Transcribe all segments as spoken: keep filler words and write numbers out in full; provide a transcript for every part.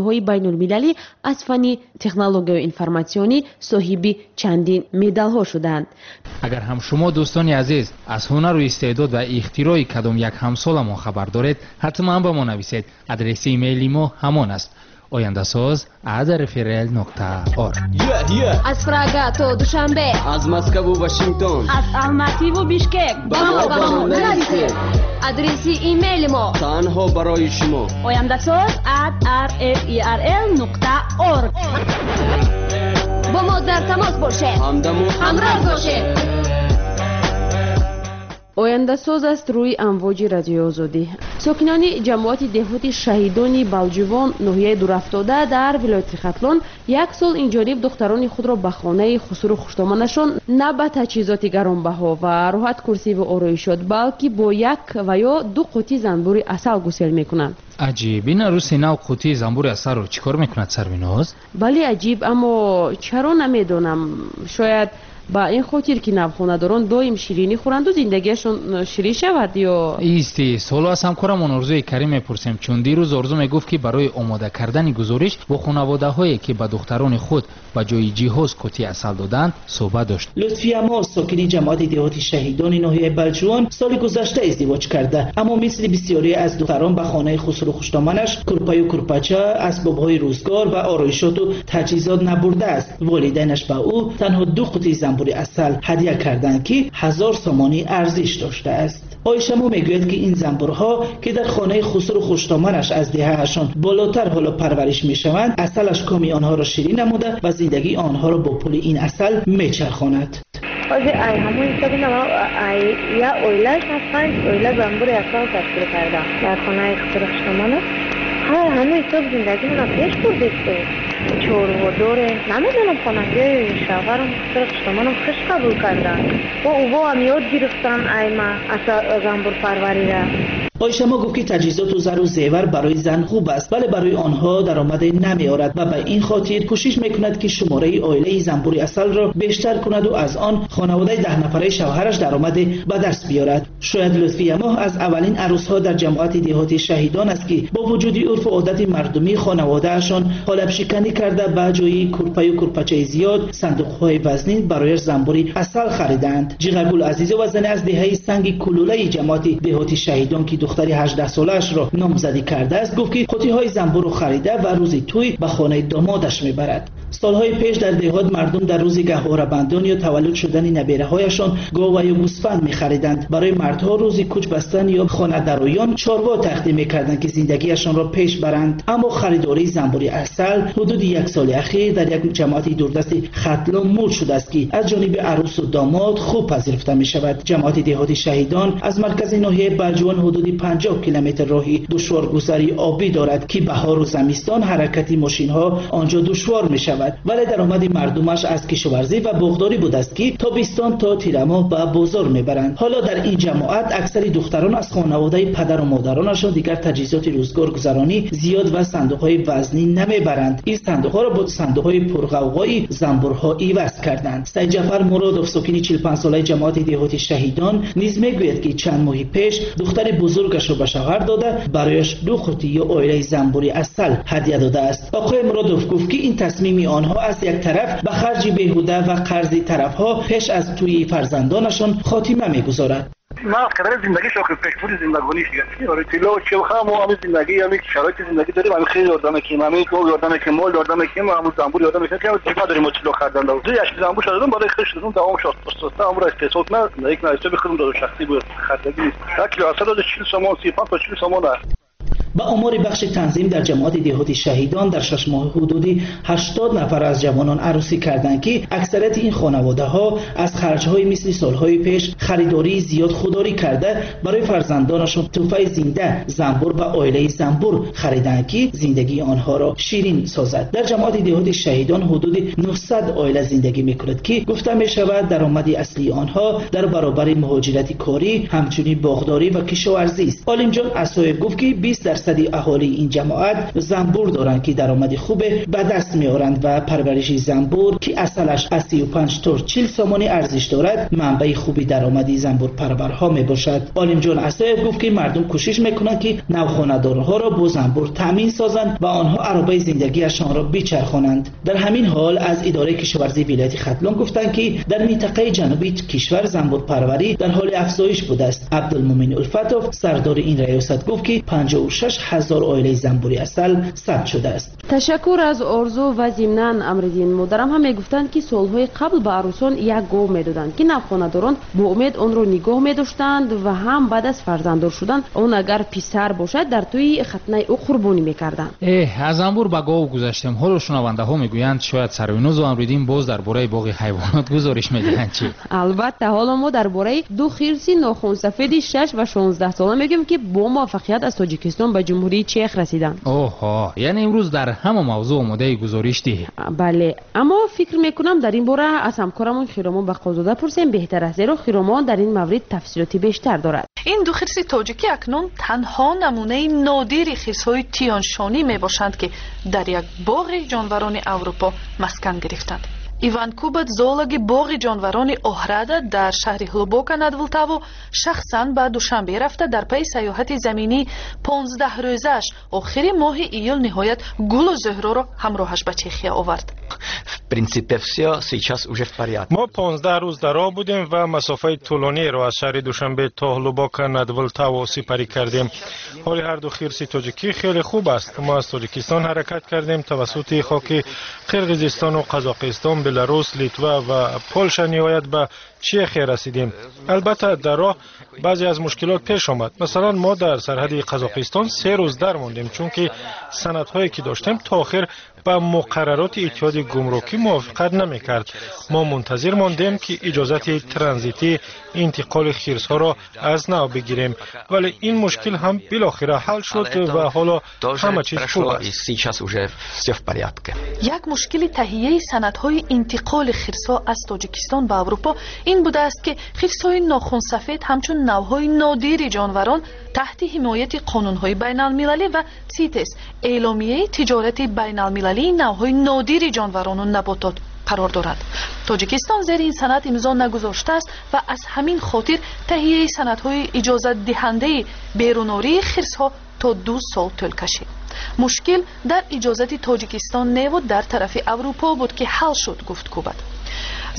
озмунҳои байнулмилалӣ аз фанни технологияи информатсионӣ соҳиби чандин медалҳо шуданд. Агар ҳам шумо, дӯстони азиз, аз ҳунару истеъдод ва ихтирои кадом як ҳамсоламон хабар доред, ҳатман ба мо нависед. Адреси имейли мо ҳамон аст: ояндасоз at rfrl нуқта org. Аз Прага то Душанбе, аз Москву Вашингтон, аз Алмативу Бишкек. Ба мо, ба мо нависед. Адреси имейли мо танҳо барои шумо: ояндасоз at rferl нуқта org. Бо мо дар тамос бошед. Ҳамдаму ҳамроҳ бошед. Ояндасоз аст рӯи амвоҷи Радиои Озодӣ. Сокинони ҷамоати деҳоти Шаҳидони Балҷувон, ноҳияи Дурафтода дар вилояти Хатлон, як сол инҷониб духтарони худро ба хонаи хусуру хуштоманашон на ба таҷҳизоти гаронбаҳо ва роҳат курсиву ороишот, балки бо як ва ё ду қутӣ занбури асал гусел мекунанд. Аҷиб, ин арӯси нав қутии занбури асалро чӣ кор мекунад, Сарвиноз? Бале, аҷиб, аммо чаро намедонам. Шояд ба ин хотир, ки навхонадорон доим ширинӣ хӯранду зиндагиашон ширин шавад ё Ист, ист, ҳоло аз ҳамкорамон Орзуи Карим мепурсем, чун дирӯз Орзу мегуфт, ки барои омода кардани гузориш бо хонаводаҳое, ки ба духтарони худ ба ҷои ҷиҳоз қутии асал доданд, суҳбат дошт. Лутфиямо, сокини ҷамоати деҳоти Шаҳидони ноҳияи Балҷувон, соли гузашта издивоҷ карда, аммо мисли бисёре аз духтарон ба хонаи хусру хуштоманаш курпаю курпача, асбобҳои рӯзгор ва ороишоту таҷҳизот набурдааст. Волидайнаш ба ӯ танҳо ду қутии занбури асал ҳадя карданд, ки ҳазор сомонӣ арзиш доштааст. Оишамо мегӯяд, ки ин занбурҳо, ки дар хонаи хусру хуштоманаш аз деҳаашон болотар ҳоло парвариш мешаванд, асалаш коми онҳоро ширин намуда ва зиндагии онҳоро бо пули ин асал мечархонад. Ҳозир ай ҳамон ҳисоби ай як оилаш ман панҷ оила занбури асал ташкил кардам дар хонаи хусру хуштоманаш. Ҳар ҳамон ҳисоб зиндагимона пеш бурдистем. Чорво дорем. Намедонам, хонагиҳои шавҳарам, хусру хуштоманам хуш қабул карданд. Бо уво ҳам ёд гирифтан айма занбурпарварира. Оишамо гуфт, ки таҷҳизоту зару зевар барои зан хуб аст, вале барои онҳо даромаде намеорад ва ба ин хотир кӯшиш мекунад, ки шумораи оилаи занбури асалро бештар кунаду аз он хонаводаи даҳнафараи шавҳараш даромаде ба даст биёрад. Шояд Лутфиямоҳ аз аввалин арӯсҳо дар ҷамоати деҳоти Шаҳидон аст, ки бо вуҷуди урфу одати мардумӣ хонаводаашон қолабшиканӣ карда, ба ҷои курпаю курпачаи зиёд, сандуқҳои вазнин барояш занбури асал харидаанд. Ҷиғагул Азизова, зане аз деҳаи Санги Кулулаи ҷамоати деҳоти Шаҳидон, ки духтари ҳаждаҳсолаашро номзадӣ кардааст, гуфт, ки қутиҳои занбурро харида ва рӯзи тӯй ба хонаи домодаш мебарад. Солҳои пеш дар деҳот мардум дар рӯзи гаҳворабандон ё таваллуд шудани набераҳояшон гова ё гӯсфанд мехариданд. Барои мардҳо рӯзи кӯч бастан ё хонадароён чорво тақдим мекарданд, ки зиндагиашонро пеш баранд. Аммо харидории занбури асал ҳудуди як соли ахир дар як ҷамоати дурдасти Хатлон муд шудааст, ки аз ҷониби арӯсу домод хуб пазируфта мешавад. Ҷамоати деҳоти Шаҳидон аз маркази ноҳияи Балҷувон ҳудуди панҷоҳ километр роҳи душворгузари обӣ дорад, ки баҳору замистон ҳаракати мошинҳо он ҷо душвор мешавад, вале даромади мардумаш аз кишоварзӣ ва боғдорӣ будааст, ки тобистон то тирамоҳ ба бозор мебаранд. Ҳоло дар ин ҷамоат аксари духтарон аз хонаводаи падару модаронашон дигар таҷҳизоти рӯзгоргузаронӣ зиёд ва сандуқҳои вазнин намебаранд. Ин сандуқҳоро бо сандуқҳои пурғавғои занбурҳо иваз карданд. Сайдҷафар Муродов, сокини чилпанҷсолаи ҷамоати деҳоти Шаҳидон, низ мегӯяд, ки чанд моҳи пеш духтари бузургашро ба шавҳар дода, барояш ду қутӣ ё оилаи занбури асал ҳадя додааст. Оқои Муродов гуфт, ки ин тасмими онҳо аз як тараф ба харҷи беҳуда ва қарзи тарафҳо пеш аз тӯйи фарзандонашон хотима мегузорад. Ман қадари зиндагиш охир пешбурди зиндагониш дига барои тилло чи ҳамо ҳамин зиндагӣ, ҳамин шароити зиндагӣ дорем, ҳамин хеле ёрдам мекунем, ҳамин гов ёрдам мекунем, мол ёрдам мекунем, ҳамун занбур ёрдам мекунем, ки ҳам надорем мо тилло хардан. Ду яшки занбур шададум, барои хеш шудум, давом шуд оста, ҳамуро истеҳсол кунад, зиндагӣ кунад, ҳисоби худум дору шахсӣ буд, хардагӣ нест. Як кило асал дода чил сомон, си панҷ то чил сомон аст. Ба омори бахши танзим дар ҷамоати деҳоти Шаҳидон дар шаш моҳ ҳудуди ҳаштод нафар аз ҷавонон арӯсӣ карданд, ки аксарияти ин хонаводаҳо аз харҷҳои мисли солҳои пеш харидории зиёд худдорӣ карда, барои фарзандонашон тӯҳфаи зинда занбур ва оилаи занбур хариданд, ки зиндагии онҳоро ширин созад. Дар ҷамоати деҳоти Шаҳидон ҳудуди нуҳсад оила зиндагӣ мекунад, ки гуфта мешавад, даромади аслии онҳо дар баробари муҳоҷирати корӣ ҳамчунин боғдорӣ ва кишоварзист. Олимҷон Асоев гуфт, ки бист дарсад дарсади аҳолии ин ҷамоат занбур доранд, ки даромади хубе ба даст меоранд ва парвариши занбур, ки асалаш аз си ва панҷ то чил сомонӣ арзиш дорад, манбаи хуби даромади занбурпарварҳо мебошад. Олимҷон Асоев гуфт, ки мардум кӯшиш мекунанд, ки навхонадорҳоро бо занбур таъмин созанд ва онҳо аробаи зиндагиашонро бичархонанд. Дар ҳамин ҳол аз идораи кишоварзии вилояти Хатлон гуфтанд, ки дар минтақаи ҷанубии кишвар занбурпарварӣ дар ҳоли афзоиш будааст. Абдулмумин Улфатов, сардори ин раёсат, гуфт, ки панҷоҳу шаш ҳазор оилаи занбури асал сабт шудааст. Ташаккур аз Орзу ва зимнан Амриддин. Модарам ҳам мегуфтанд, ки солҳои қабл ба арӯсон як гов медоданд, ки навхонадорон бо умед онро нигоҳ медоштанд ва ҳам баъд аз фарзанддор шудан он агар писар бошад дар тӯи хатнаи ӯ қурбонӣ мекарданд. Эҳ, аз занбур ба гов гузаштем. Ҳоло шунавандаҳо мегӯянд, шояд Сарвинозу Амриддин боз дар бораи боғи ҳайвонот гузориш медиҳанд. Чӣ? Албатта, ҳоло мо дар бораи ду хирси нохунсафеди шаш ва шонздаҳ сола мегӯем, ки бо муваффақият аз Тоҷикистон ба Ҷумҳурии Чех расиданд. Оҳо, яъне имрӯз дар ҳама мавзӯъ омодаи гузориш диҳем. Бале, аммо фикр мекунам дар ин бора аз ҳамкорамон Хиромон Бақозода пурсем беҳтар аст, зеро Хиромон дар ин маврид тафсилоти бештар дорад. Ин ду хирси тоҷикӣ акнун танҳо намунаи нодири хирсҳои тиёншонӣ мебошанд, ки дар як боғи ҷонварони Аврупо маскан гирифтанд. Иван Кубат, зоологи боғи ҷонварони Оҳрада дар шаҳри Ҳлубока над Влтаво, шахсан ба Душанбе рафта дар пайи сайёҳати заминӣ понздаҳ рӯзааш охири моҳи июл ниҳоят Гулу Зуҳроро ҳамроҳаш ба Чехия овард. Мо понздаҳ рӯз дар роҳ будем ва масофаи тӯлониеро аз шаҳри Душанбе то Ҳлубока над Влтаво сипарӣ кардем. Ҳоли ҳар ду хирси тоҷикӣ хеле хуб аст. Мо аз Тоҷикистон ҳаракат кардем тавассути хоки Қирғизистону Қазоқистон, Беларус, Литва ва Полша ниҳоят ба Чехия расидем. Албатта, дар роҳ баъзе аз мушкилот пеш омад. Масалан, мо дар сарҳади Қазоқистон се рӯз дармондем, чунки санадҳое ки доштем то охир ба муқаррароти иттиҳоди гумрукӣ мувофиқат намекард. Мо мунтазир мондем, ки иҷозати транзитӣ интиқоли хирсҳоро аз нав бигирем, вале ин мушкил ҳам билохира ҳал шуд ва ҳоло ҳама чиз хуб аст. Як мушкили таҳияи санадҳои интиқоли хирсҳо аз Тоҷикистон ба Аврупо ин будааст, ки хирсҳои нохунсафед ҳамчун навъҳои нодири ҷонварон таҳти ҳимояти қонунҳои байналмилалӣ ва СИТЕС, эъломияи тиҷорати байналмилалии навъҳои нодири ҷонварону наботот қарор дорад. Тоҷикистон зери ин санад имзо нагузоштааст ва аз ҳамин хотир таҳияи санадҳои иҷозатдиҳандаи берунории хирсҳо то ду сол тӯл кашид. Мушкил дар иҷозати Тоҷикистон неву дар тарафи Аврупо буд, ки ҳал шуд, гуфт Кубат.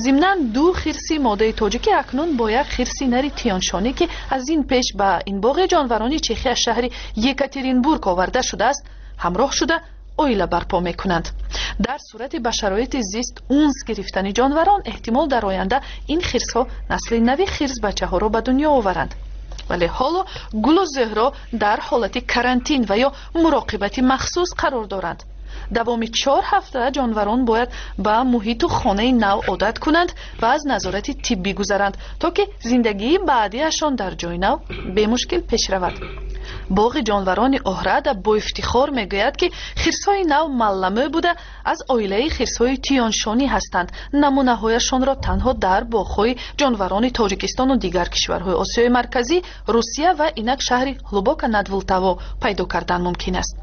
Зимнан ду хирси модаи тоҷикӣ акнун бо як хирси нари тиёншонӣ, ки аз ин пеш ба ин боғи ҷонварони Чехия шаҳри Екатеринбург оварда шудааст, ҳамроҳ шуда оила барпо мекунанд. Дар сурати ба шароити зист унс гирифтани ҷонварон эҳтимол дар оянда ин хирсҳо насли нави хирсбачаҳоро ба дунё оваранд. Вале ҳоло Гулу Зуҳро дар ҳолати карантин ва ё муроқибати махсус қарор доранд. Давоми чор ҳафта ҷонварон бояд ба муҳиту хонаи нав одат кунанд ва аз назорати тиббӣ гузаранд, то ки зиндагии баъдиашон дар ҷои нав бемушкил пеш равад. Боғи ҷонварони Оҳрада бо ифтихор мегӯяд, ки хирсҳои нав малламӯ буда аз оилаи хирсҳои тиёншонӣ ҳастанд. Намунаҳояшонро танҳо дар боғҳои ҷонварони Тоҷикистону дигар кишварҳои Осиёи Марказӣ, Русия ва инак шаҳри Ҳлубока над Влтаво пайдо кардан мумкин аст.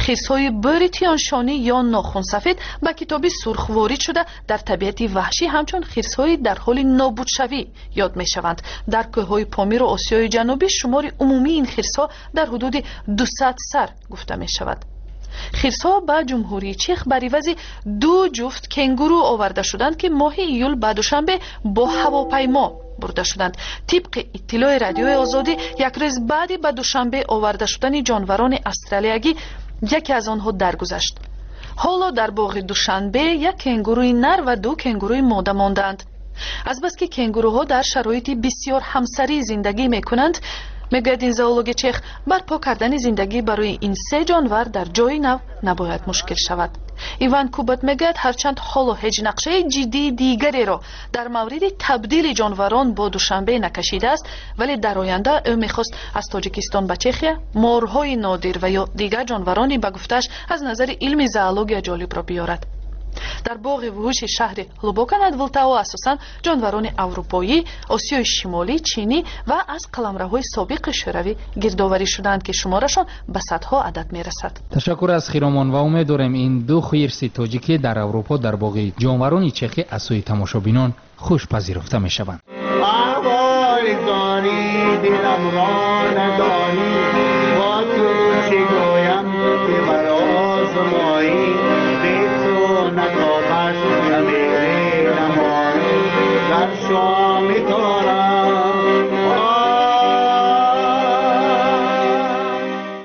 Хирсҳои бӯри тиёншонӣ ё нохунсафед ба китоби сурх ворид шуда дар табиати ваҳшӣ ҳамчун хирсҳои дар ҳоли нобудшавӣ ёд мешаванд. Дар кӯҳҳои Помиру Осиёи Ҷанубӣ шумори умумии ин хирсҳо дар ҳудуди дусад сар гуфта мешавад. Хирсҳо ба Ҷумҳурии Чех бар ивази ду ҷуфт кенгуру оварда шуданд, ки моҳи июл ба Душанбе бо ҳавопаймо бурда шуданд. Тибқи иттилои Радиои Озодӣ, як рӯз баъди ба Душанбе оварда шудани ҷонварони австралиягӣ яке аз онҳо даргузашт. Ҳоло дар боғи Душанбе як кенгуруи нар ва ду кенгуруи мода мондаанд. Азбаски кенгуруҳо дар шароити бисёр ҳамсарӣ зиндагӣ мекунанд, мегӯяд ин зоологи чех, барпо кардани зиндагӣ барои ин се ҷонвар дар ҷои нав набояд мушкил шавад. Иван Кубат мегӯяд, ҳарчанд ҳоло ҳеҷ нақшаи ҷиддии дигареро дар мавриди табдили ҷонварон бо Душанбе накашидааст, вале дар оянда ӯ мехост аз Тоҷикистон ба Чехия морҳои нодир ва ё дигар ҷонварони ба гуфтааш аз назари илми зоология ҷолибро биёрад. Дар боғи вуҳуши шаҳри Ҳлубока над Вилтаво асосан ҷонварони аврупоӣ, Осиёи Шимолӣ, Чинӣ ва аз қаламравҳои собиқи Шӯравӣ гирдоварӣ шудаанд, ки шуморашон ба садҳо адад мерасад. Ташаккур аз Хиромон ва умед дорем ин ду хирси тоҷикӣ дар Аврупо дар боғи ҷонварони чехӣ аз сӯи тамошобинон хуш пазируфта мешаванд.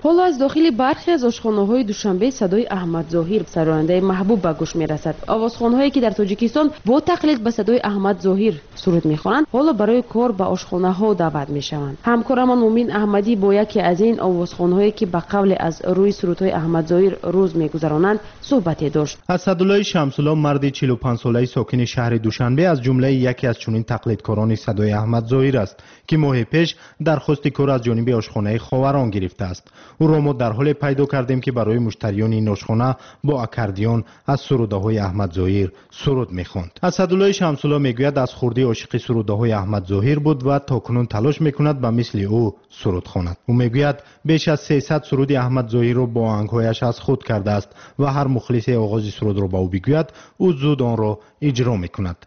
Ҳоло аз дохили бархе аз ошхонаҳои Душанбе садои Аҳмад Зоҳир, сарояндаи маҳбуб, ба гӯш мерасад. Овозхонҳое ки дар Тоҷикистон бо тақлид ба садои Аҳмад Зоҳир суруд мехонанд, ҳоло барои кор ба ошхонаҳо даъват мешаванд. Ҳамкорамон Мумин Аҳмадӣ бо яке аз ин овозхонҳое ки ба қавле аз рӯи сурудҳои Аҳмад Зоҳир рӯз мегузаронанд суҳбате дошт. Асадуллои Шамсулло, марди чилу панҷсолаи сокини шаҳри Душанбе, аз ҷумлаи яке аз чунин тақлидкорони садои Аҳмад Зоҳир аст, ки моҳи пеш дархости кор аз ҷониби ошхонаи Ховарон гирифтааст. Ӯро мо дар ҳоле пайдо кардем, ки барои муштариёни ин ошхона бо аккордеон аз сурудаҳои Аҳмад Зоҳир суруд мехонд. Асадуллои Шамсулло мегӯяд, аз хурдӣ ошиқи сурудаҳои Аҳмад Зоҳир буд ва то кунун талош мекунад ба мисли ӯ суруд хонад. Ӯ мегӯяд, беш аз сесад суруди Аҳмад Зоҳирро бо оҳангҳояш аз худ кардааст ва ҳар мухлисе оғози сурудро ба ӯ бигӯяд, ӯ зуд онро иҷро мекунад.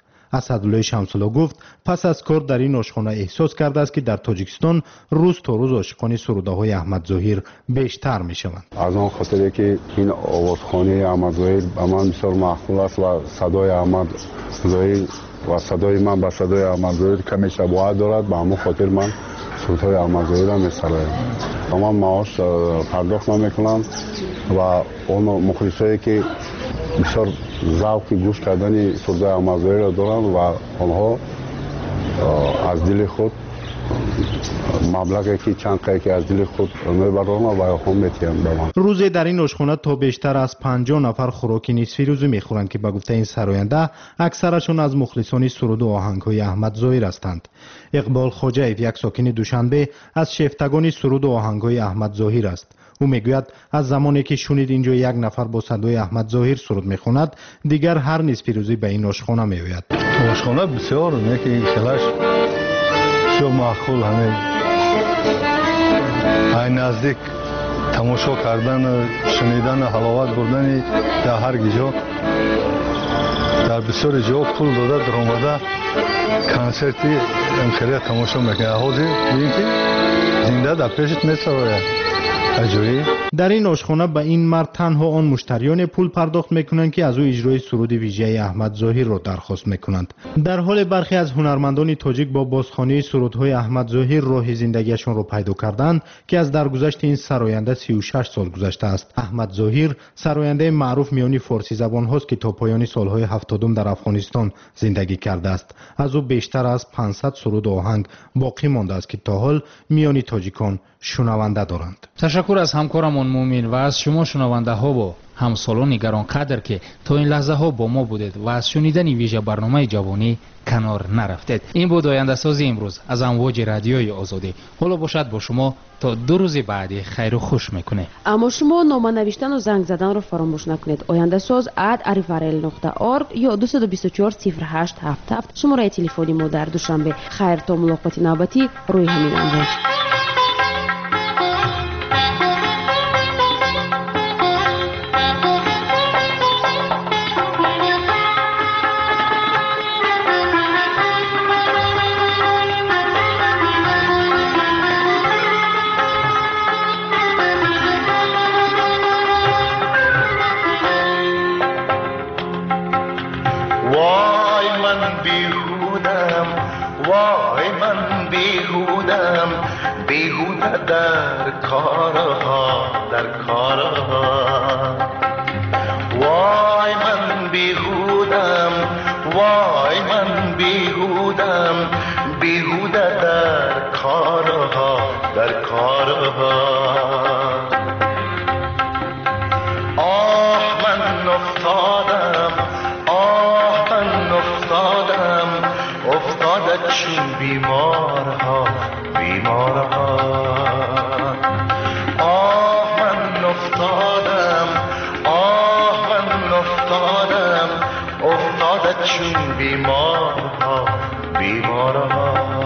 Асадуллои Шамсулло гуфт, пас аз кор дар ин ошхона эҳсос кардааст, ки дар Тоҷикистон рӯз то рӯз ошиқони сурудаҳои Аҳмад Зоҳир бештар мешаванд. Аз он хотире ки ин овозхонии Аҳмад Зоҳир ба ман бисёр маъқул аст ва садои Аҳмад Зоҳир ва садои ман ба садои Аҳмад Зоҳир каме шабоҳат дорад, ба ҳамон хотир ман сурудҳои Аҳмад Зоҳирро месароям. Ба ман маош пардохт намекунанд ва он мухлисое ки бисёр завқи гӯш кардани сурудҳои Аҳмад Зоҳирро доранд ва онҳо аз дили худ маблағе ки чанд қае ки аз дили худ мебароранд ва онҳо метиҳанд ба ман. Рӯзе дар ин ошхона то бештар аз панҷоҳ нафар хӯроки нисфирӯзӣ мехӯранд, ки ба гуфтаи ин сароянда аксарашон аз мухлисони суруду оҳангҳои Аҳмад Зоҳир ҳастанд. Иқбол Хоҷаев, як сокини Душанбе, аз шефтагони суруду оҳангҳои Аҳмад Зоҳир аст. Ӯ мегӯяд, аз замоне ки шунид инҷо як нафар бо садои Аҳмад Зоҳир суруд мехонад, дигар ҳар нисфирӯзӣ ба ин ошхона меояд. Ошхона бисёр неки хелаш бисёр маъқул, ҳамин ай наздик тамошо кардану шунидану ҳаловат бурдани дар ҳар ҷо, дар бисёри ҷо пул дода даромада консерти хеле тамошо мекунад. Ҳозир бибин ки зинда дар пешат месарояд. Дар ин ошхона ба ин мард танҳо он муштариёне пул пардохт мекунанд, ки аз ӯ иҷрои суруди вижаи Аҳмад Зоҳирро дархост мекунанд. Дар ҳоле бархе аз ҳунармандони тоҷик бо бозхонии сурудҳои Аҳмад Зоҳир роҳи зиндагиашонро пайдо карданд, ки аз даргузашти ин сароянда сию шаш сол гузаштааст. Аҳмад Зоҳир сарояндаи маъруф миёни форсизабонҳост, ки то поёни солҳои ҳафтодум дар Афғонистон зиндагӣ кардааст. Аз ӯ бештар аз панҷсад суруду оҳанг боқӣ мондааст, ки то ҳол миёни тоҷикон шунаванда доранд. Ташаккур аз ҳамкорамон Мумин ва аз шумо шунавандаҳову ҳамсолони гаронқадр, ки то ин лаҳзаҳо бо мо будед ва аз шунидани вижа барномаи ҷавонӣ канор нарафтед. Ин буд ояндасози имрӯз аз амвоҷи радиои Озодӣ. Ҳоло бошад бо шумо то ду рӯзи баъдӣ хайру хуш мекунем. Аммо шумо нома навиштану занг заданро фаромӯш накунед. Ояндасоз ад рфрл нуқта орг ё дусаду бисту чор сифр ҳашт ҳафт ҳафт шумораи телефони мо дар Душанбе. Хайр то мулоқоти навбатӣ рӯи ҳамин амвоҷ. وای من بیهودم، بیهوده در کارها، در کارها. وای من بیهودم، وای من بیهودم، بیهوده در کارها، در کارها. آه من افتادم، آه من افتادم، افتاده چون بیمارها، بیمارها. آه من افتادم، آه من افتادم، چون بیمارها، بیمارها.